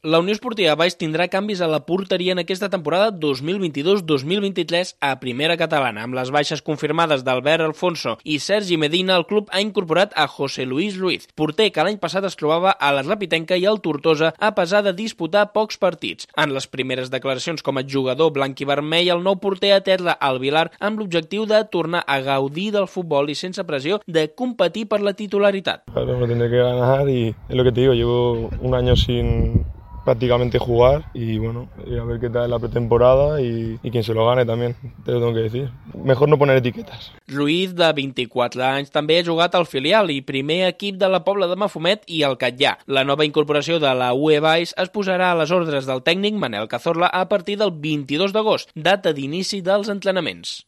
La Unió Esportiva Valls tindrà canvis a la porteria en aquesta temporada 2022-2023 a Primera Catalana. Amb les baixes confirmades d'Albert Alfonso i Sergi Medina, el club ha incorporat a José Luis Ruiz, porter que l'any passat es trobava a la Rapitenca i al Tortosa a pesar de disputar pocs partits. En les primeres declaracions com a jugador blanc-i-vermell, el nou porter aterra al Vilar amb l'objectiu de tornar a gaudir del futbol i sense pressió de competir per la titularitat. Claro, lo tendré que ganar y es lo que te digo, llevo un año sin prácticamente jugar y bueno, a ver qué tal la pretemporada y quien se lo gane también, te lo tengo que decir. Mejor no poner etiquetas. Ruiz, de 24 anys, també ha jugat al filial i primer equip de la Pobla de Mafumet i el Catllà. La nova incorporació de la UE Valls es posarà a les ordres del tècnic Manel Cazorla a partir del 22 d'agost, data d'inici dels entrenaments.